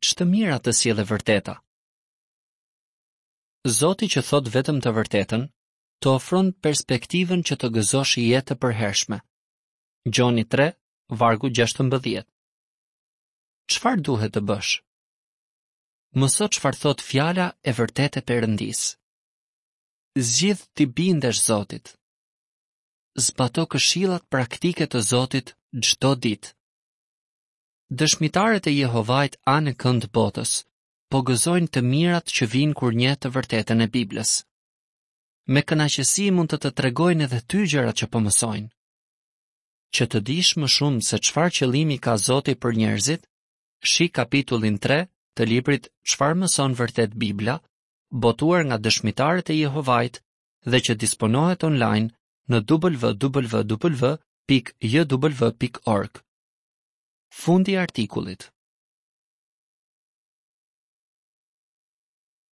Ç'të mira të sjell e vërteta? Zoti që thotë vetëm të vërtetën, të ofron perspektivën që të gëzosh jetë të përhershme. Gjoni 3, vargu 16. Çfarë duhet të bësh? Mëso çfarë thotë fjala e vërtetë e Perëndisë. Zgjidh t'i bindesh Zotit. Zbato këshillat praktike të Zotit çdo ditë. Dëshmitarët e Jehovait anekënd botës po gëzojnë të mirat që vijnë kur njeh të vërtetën e Biblës. Me kënaqësi mund të të tregojnë edhe ty gjërat që po mësojnë. Që të dish më shumë se çfarë qëllimi ka Zoti për njerëzit, shih kapitullin 3 të librit Çfarë mëson vërtet Bibla, botuar nga Dëshmitarët e Jehovait dhe që disponohet online në www.jw.org. Fundi i artikullit.